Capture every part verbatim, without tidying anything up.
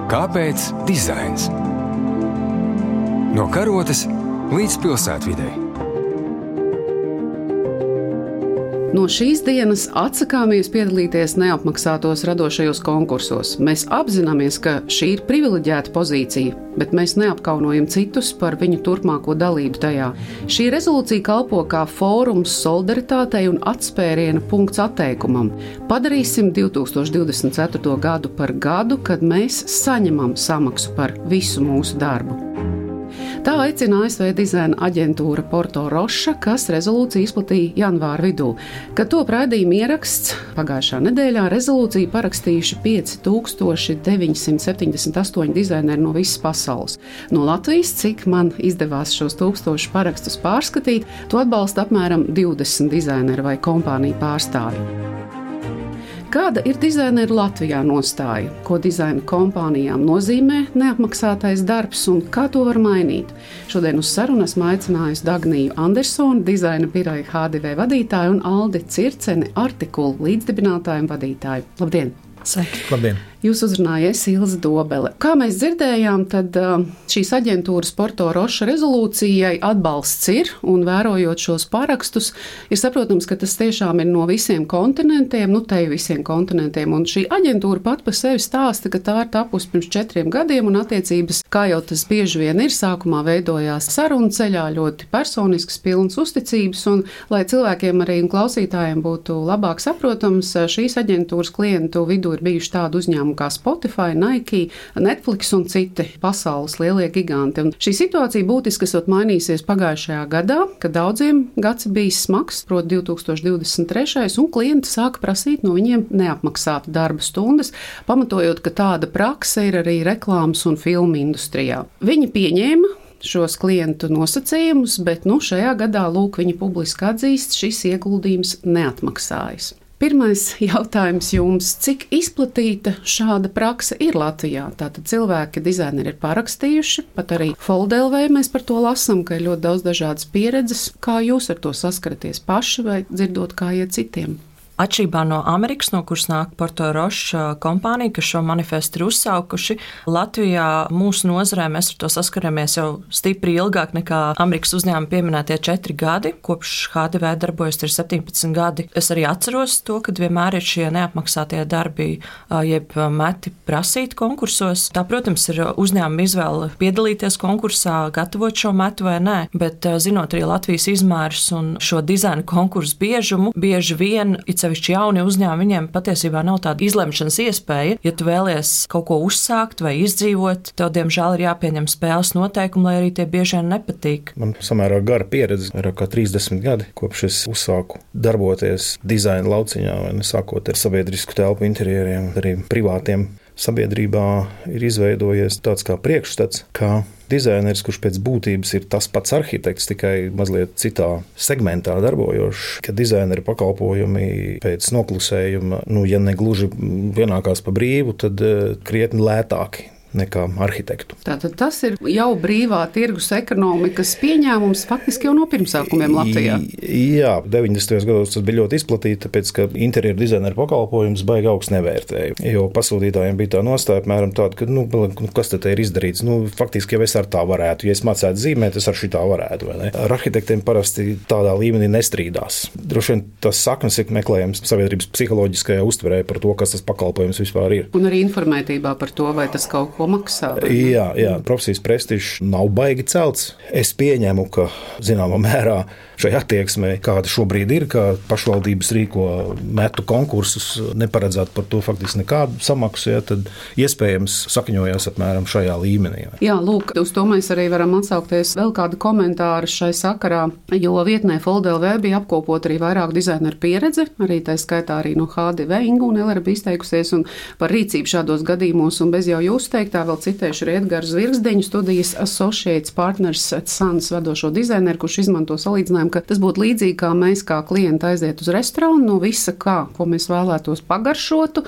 Kāpēc dizains? No karotes līdz pilsētvidei. No šīs dienas atsakāmies piedalīties neapmaksātos radošajos konkursos. Mēs apzināmies, ka šī ir privileģēta pozīcija, bet mēs neapkaunojam citus par viņu turpmāko dalību tajā. Šī rezolūcija kalpo kā fórums solidaritātei un atspēriena punkts atteikumam. Padarīsim divi tūkstoši divdesmit ceturto gadu par gadu, kad mēs saņemam samaksu par visu mūsu darbu. Tā aicina A S V dizaina aģentūra Porto Roša, kas rezolūciju izplatīja janvāra vidū. Kad to raidījuma ieraksts pagājušā nedēļā, rezolūciju parakstījuši pieci tūkstoši deviņi simti septiņdesmit astoņi dizaineri no visas pasaules. No Latvijas, cik man izdevās šos tūkstošus parakstus pārskatīt, to atbalsta apmēram divdesmit dizaineri vai kompāniju pārstāvji. Kāda ir dizaineru Latvijā nostāja? Ko dizaina kompānijām nozīmē neapmaksātais darbs un kā to var mainīt? Šodien uz sarunu esmu aicinājusi Dagniju Andersoni, dizaina biroja H D V vadītāju, un Aldi Circeni, Artikulu līdzdibinātāju un vadītāju. Labdien! Sveiki! Labdien! Jūs uzrunājies Ilze Dobele. Kā mēs dzirdējām, tad šīs aģentūras Porto Roša rezolūcijai atbalsts ir, un vērojot šos parakstus, ir saprotams, ka tas tiešām ir no visiem kontinentiem, nu te visiem kontinentiem, un šī aģentūra pat pa sevi stāsta, ka tā ir tapusi pirms četriem gadiem, un attiecības, kā jau tas bieži vien ir, sākumā veidojās sarunu ceļā, ļoti personisks, pilns uzticības, un lai cilvēkiem arī un klausītājiem būtu labāk saprotams, šīs aģentūras klientu vidū ir bijuši tādi uzņēmumi kā Spotify, Nike, Netflix un citi pasaules lielie giganti. Un šī situācija būtiski esot mainīsies pagājušajā gadā, kad daudziem gads bijis smags, proti divi tūkstoši divdesmit trešais, un klienti sāka prasīt no viņiem neapmaksātu darba stundas, pamatojot, ka tāda prakse ir arī reklāmas un filmu industrijā. Viņi pieņēma šos klientu nosacījumus, bet nu, šajā gadā lūk, viņi publiski atzīst, šis ieguldījums neatmaksājas. Pirmais jautājums jums, cik izplatīta šāda prakse ir Latvijā? Tātad cilvēki, dizaineri ir parakstījuši, pat arī Foldelvē mēs par to lasam, ka ir ļoti daudz dažādas pieredzes. Kā jūs ar to saskaraties paši vai dzirdot, kā iet citiem? Atšķirībā no Amerikas, no kuras nāk Porto Roša kompānija, kas šo manifestu ir uzsaukuši, Latvijā mūsu nozarē mēs ar to saskaramies jau stipri ilgāk nekā Amerikas uzņēmuma pieminētie četri gadi. Kopš H D V darbojas ir septiņpadsmit gadi. Es arī atceros to, kad vienmēr ir šie neapmaksātie darbi, jeb meti prasīt konkursos. Tā, protams, ir uzņēmuma izvēle piedalīties konkursā, gatavot šo metu vai nē, bet zinot arī Latvijas izmērus un šo dizaina konkursu biežumu, bieži vien sevišķi jauni uzņēmumi, viņiem patiesībā nav tāda izlemšanas iespēja. Ja tu vēlies kaut ko uzsākt vai izdzīvot, tev diemžēl ir jāpieņem spēles noteikumi, lai arī tie bieži vien nepatīk. Man samērā gara pieredze, vairāk kā trīsdesmit gadi, kopš es uzsāku darboties dizaina lauciņā, vai ne, sākot ar sabiedrisku telpu interjeriem, arī privātiem. Sabiedrībā ir izveidojies tāds kā priekšstats, ka dizaineris, kurš pēc būtības ir tas pats arhitekts, tikai mazliet citā segmentā darbojošs, ka dizaineri pakalpojumi pēc noklusējuma, nu, ja ne gluži pienākās pa brīvu, tad krietni lētāki nekā arhitektu. Tātad tas ir jau brīvā tirgus ekonomikas pieņēmums faktiski jau no pirmsākumiem Latvijā. Jā, deviņdesmitajos gados tas bija ļoti izplatīti, tāpēc, ka interjeru dizaineru pakalpojums baigi augsts nevērtēja. Jo pasūtītājiem bija tā nostāja, apmēram tāda, ka, nu, kas te ir izdarīts? Nu, faktiski jau es ar tā varētu. Ja es mācētu zīmēt, es ar šitā varētu, vai ne? Ar arhitektiem parasti tādā līmenī nestrīdās. Droši vien tas saknes ir meklējams sabiedrības psiholoģiskajā uztverē par to, kas tas pakalpojums vispār ir. Un arī informētībā par to, vai tas kaut ko maksā. Jā, jā, profesijas prestižs nav baigi celts. Es pieņemu, ka zināmā mērā šai attieksmē, kāda šobrīd ir, kā pašvaldības rīko metu konkursus, neparedzēt par to faktiski nekādu samaksu, ja, tad iespējams sakņojās apmēram šajā līmenī. Jā, lūk, uz to mēs arī varam atsaukties vēl kādu komentāru šai sakarā, jo vietnē Foldelvē bija apkopot arī vairāk dizaineru pieredze, arī tā skaitā arī no H D V Inga un Elera bija izteikusies un par rīcību šādos gadījumos, un bez jau jūs teiktā vēl citēšu arī Edgars Zvirgzdeņu, studijas Associates Partners at Suns vadošo dizaineru, kurš izmanto salīdzinājumu, ka tas būtu līdzīgi, kā mēs kā klienti aiziet uz restorānu, no visa kā, ko mēs vēlētos pagaršotu,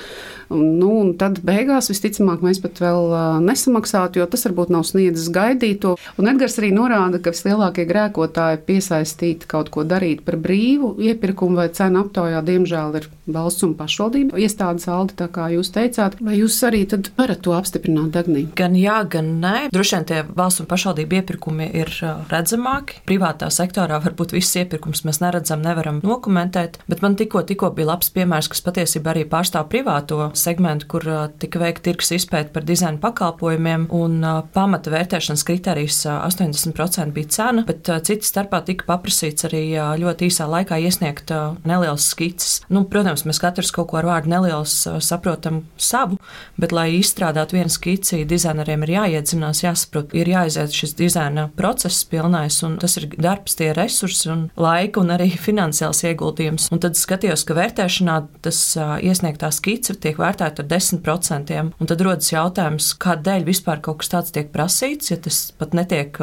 nu, un tad beigās visticamāk mēs pat vēl nesamaksātu, jo tas varbūt nav sniedzis gaidīto. Un Edgars arī norāda, ka vislielākie grēkotāji piesaistīti kaut ko darīt par brīvu iepirkumu vai cenu aptaujā, diemžēl ir valsts un pašvaldība iestādes, Aldi, tā kā jūs teicāt. Vai jūs arī tad varat to apstiprināt? Dagnī? Gan jā, gan nē. Droši vien tie valsts un pašvaldību iepirkumi ir redzamāki. Privātā sektorā varbūt viss iepirkums mēs neredzam, nevaram dokumentēt, bet man tikko, tikko bija labs piemērs, kas patiesībā arī pārstāv privāto segmentu, kur tika veikta tirgus izpēta par dizaina pakalpojumiem, un pamata vērtēšanas kriterijs astoņdesmit procenti bija cena, bet cita starpā tika paprasīts arī ļoti īsā laikā iesniegt nelielas skices. Nu, protams, mēs katrs kaut ko ar vārdu neliels saprotam savu, bet, lai izstrādātu vienu skici, dizaineriem ir jāiedzinās, jāsaprot, ir jāiziet šis dizaina process pilnais, un tas ir darbs, tie resursi un laika un arī finansiāls ieguldījums. Un tad skatījos, ka vērtēšanā tas iesniegtā skice tiek vērtēta ar desmit procentiem, un tad rodas jautājums, kādēļ vispār kaut kas tāds tiek prasīts, ja tas pat netiek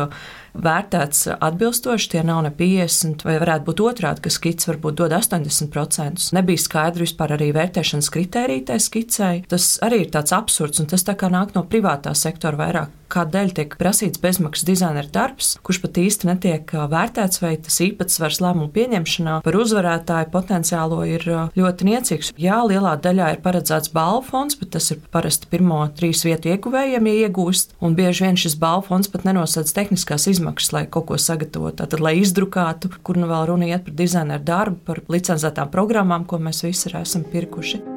vērtēts atbilstoši, tie nav ne piecdesmit, vai varētu būt otrādi, ka skice varbūt dod astoņdesmit procentus. Nebija skaidri vispār arī vērtēšanas kritērija tai skicei. Tas arī ir tāds absurds, un tas tā kā nāk no privātā sektora vairāk. Kādēļ tiek prasīts bezmaksas dizainera darbs, kurš pat īsti netiek vērtēts, vai tas īpatsvars lēmumu pieņemšanā par uzvarētāju potenciālo ir ļoti niecīgs. Jā, lielā daļā ir paredzēts balvu fonds, bet tas ir parasti pirmo trīs vietu ieguvējiem, ja iegūst, un bieži vien šis balvu fonds pat nenosedz tehniskās izmaksas, lai kaut ko sagatavotu, tātad, lai izdrukātu, kur nu vēl runa iet par dizaineru darbu, par licencētām programmām, ko mēs visi esam pirkuši.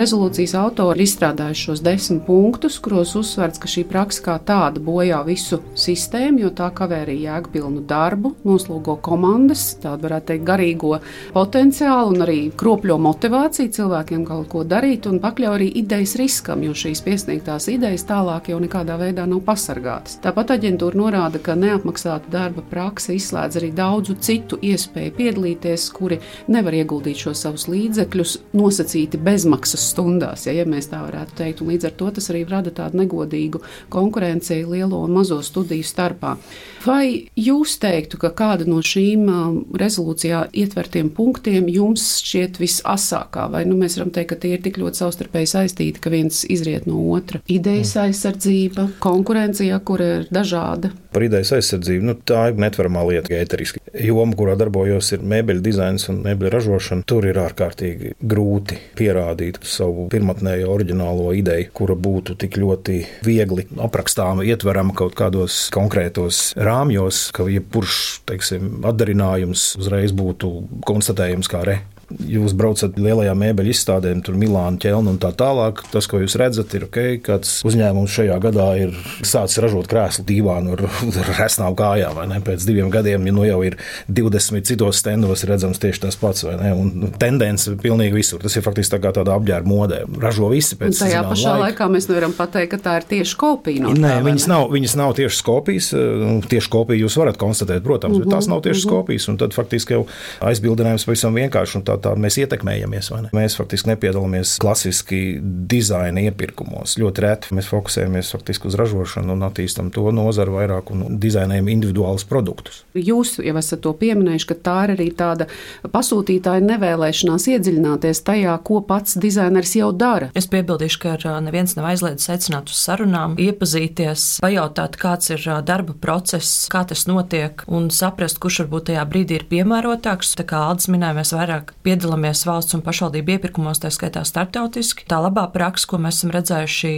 Rezolūcijas autori ir izstrādājuši šos desmit punktus, kuros uzsverts, ka šī praksa kā tāda bojā visu sistēmu, jo tā kavē arī jēgpilnu darbu, noslogo komandas, tādu varētu teikt garīgo potenciālu un arī kropļo motivāciju cilvēkiem kaut ko darīt un pakļauj arī idejas riskam, jo šīs piesniegtās idejas tālāk jau nekādā veidā nav pasargātas. Tāpat aģentūra norāda, ka neapmaksāta darba praksa izslēdz arī daudzu citu iespēju piedalīties, kuri nevar ieguldīt šos savus līdzekļus nosacīti bezmaksas stundās, ja, ja mēs tā varētu teikt, un līdz ar to tas arī rada tādu negodīgu konkurenci lielo un mazo studiju starpā. Vai jūs teiktu, ka kāda no šīm rezolūcijā ietvertiem punktiem jums šķiet visasākā, vai nu mēs varam teikt, ka tie ir tik ļoti savstarpēji saistīti, ka viens izriet no otra? Idejas aizsardzība, konkurencija, kur ir dažāda. Par idejas aizsardzību, nu, tā ir netveramā lieta, ēteriski. Joma, kurā darbojos, ir mēbeļu dizains un mēbeļu ražošana. Tur ir ārkārtīgi grūti pierādīt savu pirmotnējo oriģinālo ideju, kura būtu tik ļoti viegli aprakstāma, ietverama kaut kādos konkrētos rāmjos, ka jebkurš, teiksim, atdarinājums uzreiz būtu konstatējams kā re. Jūs braucat lielajā mēbeļu izstādēm, tur Milāna, Ķelna un tā tālāk. Tas, ko jūs redzat, ir ok, kāds uzņēmums šajā gadā ir sācis ražot krēslu dīvānu ar, ar resnām kājām, vai ne? Pēc diviem gadiem, ja nu jau ir divdesmit citos stendos, ir redzams tieši tas pats, vai ne? Un tendence pilnīgi visur. Tas ir faktiski tā kā tāda apģērba modē. Ražo visi pēc un tajā pašā laika. laikā mēs nevaram pateikt, ka tā ir tieši kopija no tā. Nē, viņas nav, viņas nav tieši kopijas. Tieši kopiju jūs varat konstatēt, protams, bet tās nav tieši kopijas, un tad faktiski jau aizbildinājums pavisam vienkārši, un tā tā mēs ietekmējamies. Mēs faktiski nepiedalāmies klasiski dizaina iepirkumos. Ļoti reti mēs fokusējamies faktiski uz ražošanu un attīstam to nozaru vairāk un dizainējam individuālus produktus. Jūs jau esat to pieminējuši, ka tā ir arī tāda pasūtītāja nevēlēšanās iedziļināties tajā, ko pats dizainers jau dara. Es piebildīšu, ka neviens nav aizliedzis aicināt uz sarunām, iepazīties, pajautāt, kāds ir darba process, kā tas notiek un saprast, kurš varbūt tajā brīdī ir piemērotāks. Tā kā Aldis minēja, mēs vairāk piedalāmies valsts un pašvaldību iepirkumos, tā skaitā starptautiski. Tā labā praksa, ko mēs esam redzējuši,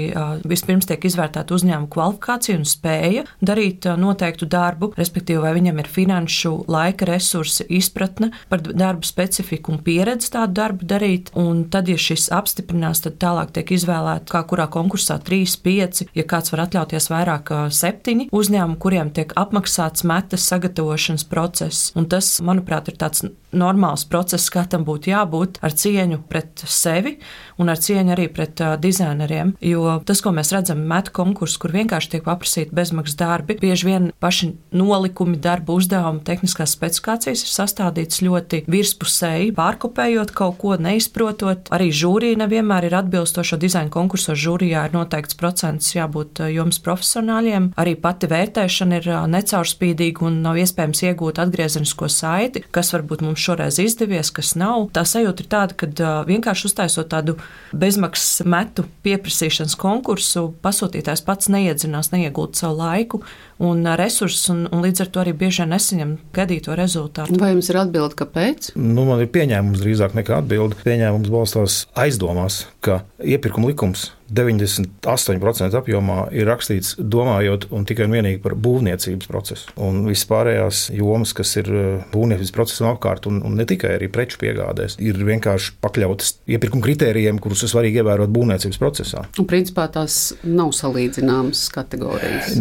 vispirms tiek izvērtēta uzņēmuma kvalifikācija un spēja darīt noteiktu darbu, respektīvi, vai viņam ir finanšu, laika resursi, izpratne par darbu specifiku un pieredzi tādu darbu darīt. Un tad, ja šis apstiprinās, tad tālāk tiek izvēlēta, kā kurā konkursā trīs, pieci, ja kāds var atļauties vairāk septiņi uzņēmumi, kuriem tiek apmaksāts metas sagatavošanas process. Un tas, manuprāt, ir tāds normāls process, kā tam būtu jābūt, ar cieņu pret sevi un ar cieņu arī pret uh, dizaineriem. Jo tas, ko mēs redzam metu konkursu, kur vienkārši tiek paprasīti bezmaksas darbi, bieži vien paši nolikumi, darba uzdevumi, tehniskās specifikācijas ir sastādītas ļoti virspusēji, pārkopējot kaut ko, neizprotot. Arī žūrija nevienmēr ir atbilstoša dizaina konkursos. Žūrijā ir noteikts procents jābūt uh, jums profesionāļiem. Arī pati vērtēšana ir uh, necaurspīdīga un nav iespējams iegūt atgriezenisko saiti, kas varbūt mums šoreiz izdevies, kas nav nav. Tā sajūta ir tāda, ka uh, vienkārši uztaisot tādu bezmaksas metu pieprasīšanas konkursu, pasūtītājs pats neiedzinās, neiegulda savu laiku un uh, resursus, un, un līdz ar to arī bieži vien nesaņem gaidīto rezultātu. Vai jums ir atbilde, kāpēc? Nu, man ir pieņēmums drīzāk nekā atbilde. Pieņēmums balstās aizdomās, ka iepirkuma likums deviņdesmit astoņi procenti apjomā ir rakstīts domājot un tikai un vienīgi par būvniecības procesu. Un viss pārējās jomas, kas ir būvniecības procesam apkārt, un, un ne tikai arī preču piegādēs, ir vienkārši pakļautas iepirkuma kritērijiem, kurus ir svarīgi ievērot būvniecības procesā. Un principā tās nav salīdzināmas kategorijas.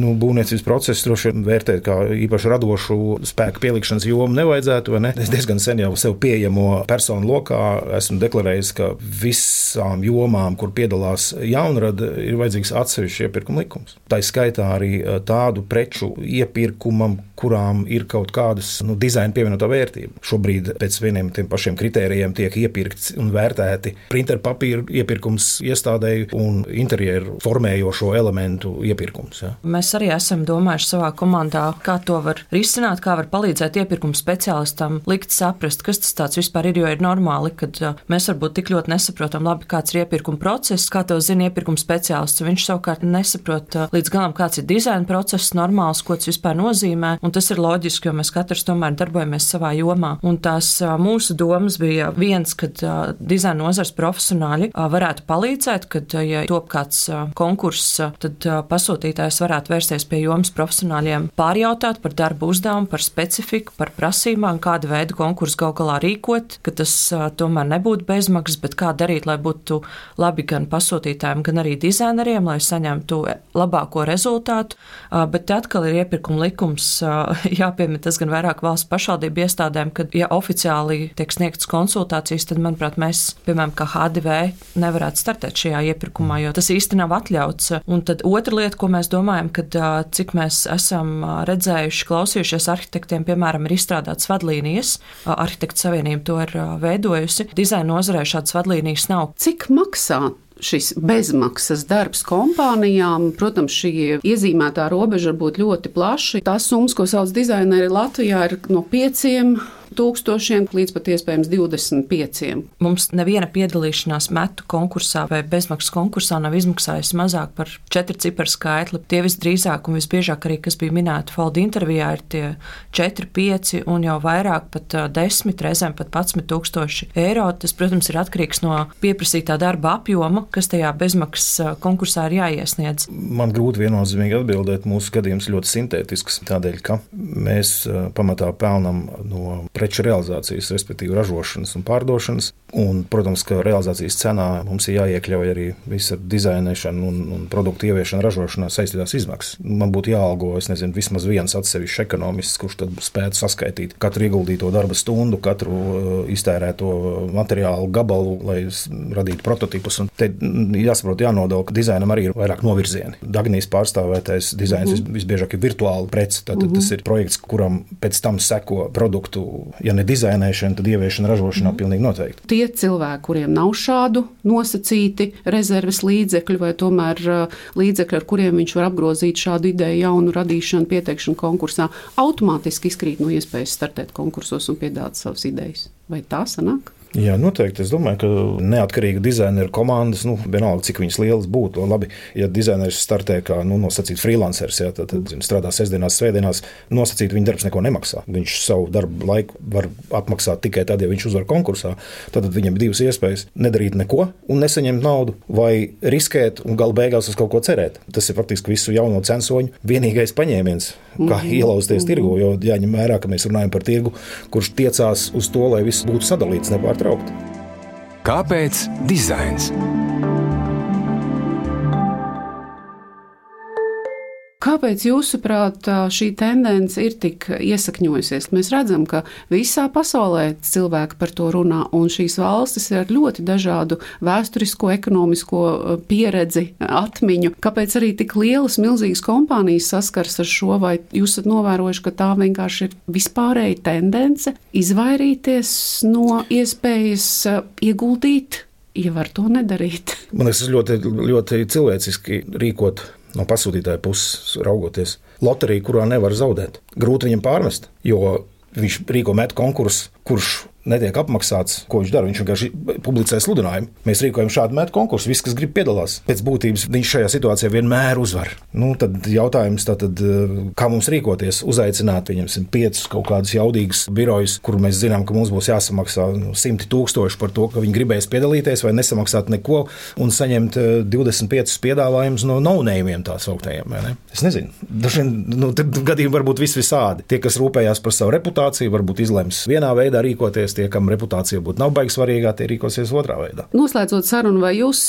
Nu, būvniecības procesu droši vien vērtēt kā īpaši radošu spēku pielikšanas jomu nevajadzētu, vai ne? Es diezgan sen jau sev pieejamo personu lokā esmu deklarējis, ka visām jomām, kur piedalās jaunrada, ir vajadzīgs atsevišķs iepirkuma likums. Tā skaitā arī tādu preču iepirkumam, kurām ir kaut kādas nu, dizaina pievienotā vērtība. Šobrīd pēc vieniem tiem pašiem kritērijiem tiek iepirkts un vērtēti printeru papīra iepirkums iestādēji un interjeru formējošo elementu iepirkums. Ja. Mēs arī esam domājuši savā komandā, kā to var risināt, kā var palīdzēt iepirkuma speciālistam likt saprast, kas tas tāds vispār ir, jo ir normāli, kad mēs varbūt tik ļoti nesaprotam labi, kāds ir iepirkuma process, kā to zina iepirkuma speciālists. Viņš savukārt nesaprot līdz galam, kāds ir dizaina process, normāls, ko tas vispār nozīmē, un tas ir loģiski, jo mēs katrs tomēr darbojamies savā jomā. Un tās mūsu domas bija viens, kad dizaina nozars profesionāļi varētu palīdzēt, kad, ja top kāds konkurss, tad pasūtītājs varētu vērsties pie jomas profesionāļiem, pārjautāt par darbu uzdevumu, par specifiku, par prasībām, kāda veida konkursu gal galā rīkot, ka tas tomēr nebūtu bezmaksas, bet kā darīt, lai būtu labi gan pasūtītājiem, gan arī dizaineriem, lai saņemtu labāko rezultātu, bet atkal ir iepirkuma likums, jāpiemina tas gan vairāk valsts pašvaldību iestādēm, kad, ja oficiāli tiek sniegtas konsultācijas, tad, manuprāt, mēs, piemēram, kā H D V, nevarētu startēt šajā iepirkumā, jo tas īsti nav atļauts. Un tad otra lieta, ko mēs domājam, kad cik mēs esam redzējuši, klausījušies arhitektiem, piemēram, ir izstrādātas vadlīnijas, Arhitektu savienība to ir veidojusi, dizaina nozarē šādas vadlīnijas nav. Cik maksā šis bezmaksas darbs kompānijām? Protams, šī iezīmētā robeža var būt ļoti plaša. Tās summas, ko sauc dizaineri Latvijā, ir no pieciem tūkstošiem līdz pat iespējams divdesmit pieciem. Mums neviena piedalīšanās metu konkursā vai bezmaksas konkursā nav izmaksājusi mazāk par četru ciparu skaitli. Tie visdrīzāk un visbiežāk arī, kas bija minēti Folda intervijā, ir tie četri, pieci un jau vairāk pat desmit, reizēm pat padsmit tūkstoši eiro. Tas, protams, ir atkarīgs no pieprasītā darba apjoma, kas tajā bezmaksas konkursā ir jāiesniedz. Man grūti viennozīmīgi atbildēt. Mūsu skatījums ļoti sintētisks, tādēļ, ka mēs pamatā pelnam no preču realizācijas, respektīvi ražošanas un pārdošanas. Un, protams, ka realizācijas cenā mums ir jāiekļauj arī visa dizainēšana un, un produktu ieviešana ražošanā saistītās izmaksas. Man būtu jāalgo, es nezinu, vismaz viens atsevišķs ekonomists, kurš tad spētu saskaitīt katru ieguldīto darba stundu, katru uh, iztērēto materiālu gabalu, lai radītu prototipus. Un te jāsaprot, jānodala, ka dizainam arī ir vairāk novirzieni. Dagnijas pārstāvētais dizains mm-hmm. visbiežāk ir virtuāli prece. Tātad mm-hmm. tas ir projekts, kuram pēc tam seko produktu, ja ne dizainēšana, tad ieviešana ražošanā mm. pilnīgi noteikti. Tie cilvēki, kuriem nav šādu nosacīti rezerves līdzekļu vai tomēr līdzekļi, ar kuriem viņš var apgrozīt šādu ideju jaunu radīšanu, pieteikšanu konkursā, automātiski izkrīt no iespējas startēt konkursos un piedāvāt savas idejas. Vai tā sanāk? Jā, noteikti. Es domāju, ka neatkarīga dizaineru komandas, nu, vienalga, cik viņas lielas būtu, labi, ja dizaineris startē kā, nu, nosacīt freelancers, jā, tad, tad strādā sestdienās, svētdienās, nosacīt viņa darbs neko nemaksā. Viņš savu darbu laiku var atmaksāt tikai tad, ja viņš uzvar konkursā. Tad viņam ir divas iespējas - nedarīt neko un nesaņemt naudu, vai riskēt un galu beigās uz kaut ko cerēt. Tas ir faktiski visu jauno censoņu vienīgais paņēmiens, kā mm-hmm. ielauzties mm-hmm. tirgu, jo jāņem vērā, ka mēs runājam par tirgu, kurš tiecās uz to, lai viss būtu sadalīts nepārtraukti. Kāpēc dizains? Kāpēc, jūsuprāt, šī tendence ir tik iesakņojusies? Mēs redzam, ka visā pasaulē cilvēki par to runā, un šīs valstis ir ar ļoti dažādu vēsturisko, ekonomisko pieredzi, atmiņu. Kāpēc arī tik lielas, milzīgas kompānijas saskars ar šo, vai jūs esat novērojuši, ka tā vienkārši ir vispārēja tendence izvairīties no iespējas ieguldīt, ja var to nedarīt? Man liekas, tas ļoti, ļoti cilvēciski rīkot no pasūtītāja puses raugoties. Loterija, kurā nevar zaudēt. Grūti viņam pārmest, jo viņš rīko metu konkursu, kurš netiek apmaksāts, ko viņš dara. Viņš vienkārši publicē sludinājumu. Mēs rīkojam šādu metu konkursu, visi, kas grib piedalās. Pēc būtības viņš šajā situācijā vienmēr uzvar. Nu, tad jautājums tātad, kā mums rīkoties, uzaicināt viņam piecus kaut kādus jaudīgus birojus, kur mēs zinām, ka mums būs jāsamaksā simti tūkstoši par to, ka viņi gribēs piedalīties vai nesamaksāt neko un saņemt divdesmit piecus piedāvājumus no no-name-iem tā sauktējiem. Ne? Es nezinu. Dažiem nu, gadījumi var būt vis visādi. Tie, kas rūpējās par savu reputāciju, varbūt izlems vienā veidā rīkoties, tie, kam reputācija būtu nav baigi svarīgā, tie rīkosies otrā veidā. Noslēdzot sarunu, vai jūs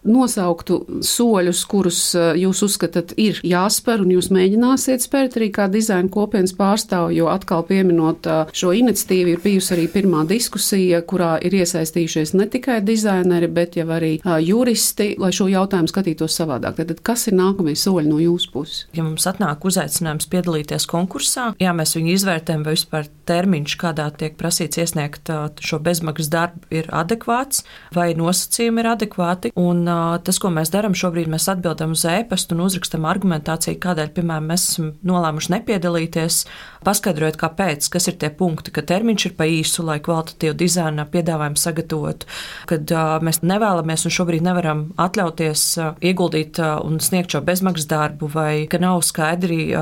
nosauktu soļus, kurus jūs uzskatāt ir jāspēr un jūs mēģināsiet spērt arī kā dizaina kopienas pārstāvu, jo atkal pieminot šo iniciatīvu ir bijusi arī pirmā diskusija, kurā ir iesaistījušies ne tikai dizaineri, bet jau arī juristi, lai šo jautājumu skatītos savādāk. Tad kas ir nākamie soļi no jūsu puses? Ja mums atnāk uzaicinājums piedalīties konkursā, jā, mēs viņu izvērtējam, vai vispār termiņš, kādā tiek prasīts iesniegt šo bezmaksas darbu, ir adekvāts, vai nosacījumi ir adekvāti. Un tas, ko mēs darām šobrīd, mēs atbildam uz ēpastu un uzrakstam argumentāciju, kādēļ, piemēram, mēs esam nolēmuši nepiedalīties, paskaidrojot, kāpēc, kas ir tie punkti, ka termiņš ir pa īsu, lai kvalitatīvu dizaina piedāvājumu sagatavotu, kad mēs nevēlamies un šobrīd nevaram atļauties ieguldīt un sniegt šo bezmaksas darbu, vai ka nav skaidri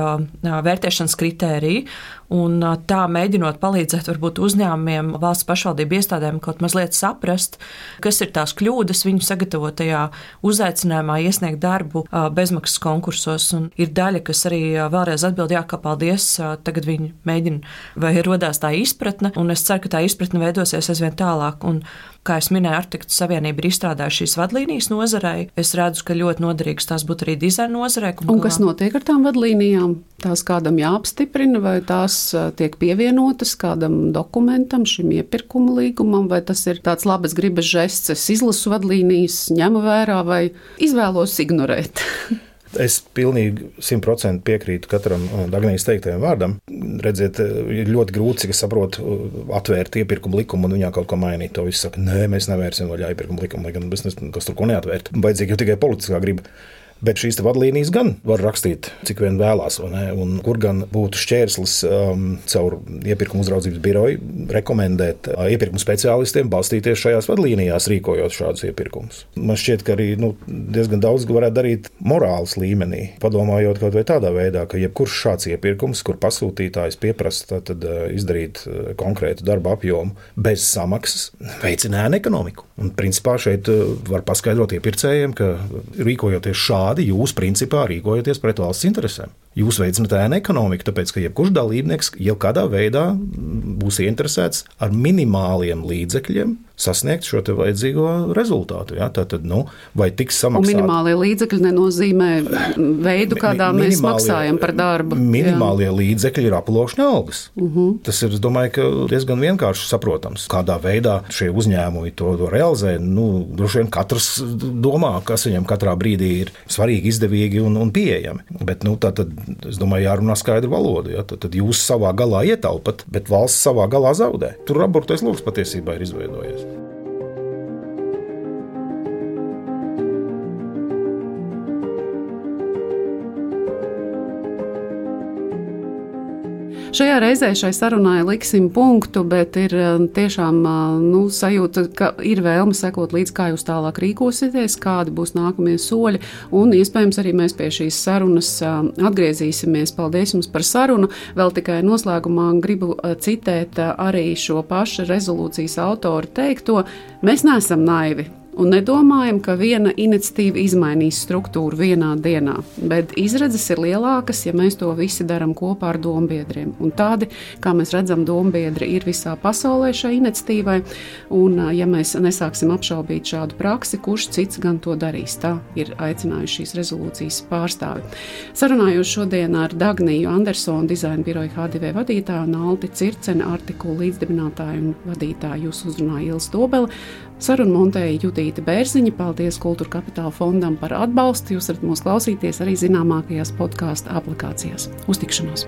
vērtēšanas kritēriji. Un tā mēģinot palīdzēt varbūt uzņēmumiem, valsts pašvaldību iestādēm kaut mazliet saprast, kas ir tās kļūdas viņu sagatavotajā uzaicinājumā iesniegt darbu bezmaksas konkursos. Un ir daļa, kas arī vēlreiz atbild, jā, ka paldies, tagad viņi mēģina vai rodās tā izpratne, un es ceru, ka tā izpratne veidosies aizvien tālāk. Un, kā es minēju, Arhitektu savienība ir izstrādājusi šīs vadlīnijas nozarei. Es redzu, ka ļoti noderīgs tās būtu arī dizaina nozarei. Un kas notiek ar tām vadlīnijām? Tās kādam jāapstiprina, vai tās tiek pievienotas kādam dokumentam, šim iepirkuma līgumam, vai tas ir tāds labas gribas žests, es izlasu vadlīnijas, ņemu vērā vai izvēlos ignorēt? Es pilnīgi simt procenti piekrītu katram Dagnijas teiktajam vārdam. Redziet, ir ļoti grūti, cik es saprotu, atvērt iepirkuma likumu un viņā kaut ko mainīt. To viss saka, nē, mēs nevērsim vaļā iepirkuma likumu, lai gan mēs kas tur ko neatvērt. Vajadzīga jau tikai politiskā griba. Bet šīs vadlīnijas gan var rakstīt, cik vien vēlās, un kur gan būtu šķērslis um, caur iepirkuma uzraudzības biroju rekomendēt uh, iepirkuma speciālistiem balstīties šajās vadlīnijās, rīkojot šādus iepirkumus. Man šķiet, ka arī nu, diezgan daudz varētu darīt morāles līmenī, padomājot kaut vai tādā veidā, ka jebkurš šāds iepirkums, kur pasūtītājs pieprasa tad, uh, izdarīt uh, konkrētu darba apjomu bez samaksas, veicina ēnu ekonomiku. Un principā šeit uh, var paskaidrot iepircējiem, ka rīkojoties šādi, jūs principā rīkojaties pret valsts interesēm. Jūs veicināt ēnu ekonomiku, tāpēc, ka jebkurš dalībnieks jau kādā veidā būs interesēts ar minimāliem līdzekļiem sasniegt šo te vajadzīgo rezultātu. Ja? Tātad, nu, vai tiks samaksāt... Un minimālie līdzekļi nenozīmē veidu, kādā mi, mēs maksājam par darbu. Minimālie jā. Līdzekļi ir aploksņa algas. Uh-huh. Tas ir, es domāju, ka diezgan vienkārši saprotams. Kādā veidā šie uzņēmumi to, to realizē, nu, droši vien katrs domā, kas viņam katrā brīdī ir svarīgi, izdevīgi un, un pieejami. Bet, nu, tā tad, es domāju, jārunā skaidru valodu. Ja? Tad, tad jūs savā galā ietaupat, bet valsts savā galā zaudē. Tur aburtais loks patiesībā ir izveidojies. Šajā reizē šai sarunai liksim punktu, bet ir tiešām nu, sajūta, ka ir vēlme sekot līdz, kā jūs tālāk rīkosieties, kādi būs nākamie soļi, un iespējams arī mēs pie šīs sarunas atgriezīsimies. Paldies jums par sarunu. Vēl tikai noslēgumā gribu citēt arī šo pašu rezolūcijas autoru teikto. Mēs neesam naivi. Un nedomājam, ka viena iniciatīva izmainīs struktūru vienā dienā, bet izredzes ir lielākas, ja mēs to visi darām kopā ar dombiedriem. Un tādi, kā mēs redzam, dombiedri ir visā pasaulē šai iniciatīvai, un ja mēs nesāksim apšaubīt šādu praksi, kurš cits gan to darīs. Tā ir aicinājuši šīs rezolūcijas pārstāvi. Sarunājos šodien ar Dagniju Andersonu, dizaina biroja H D V vadītāju, un Alti Circeni, artikulu līdzdibinātāju un vadītāju. Jūs uzrunāja Ilze Dobele. Sarunu montēja Judīta Bērziņa. Paldies Kultūra Kapitāla fondam par atbalstu. Jūs varat mūs klausīties arī zināmākajās podkāstu aplikācijās. Uz tikšanos!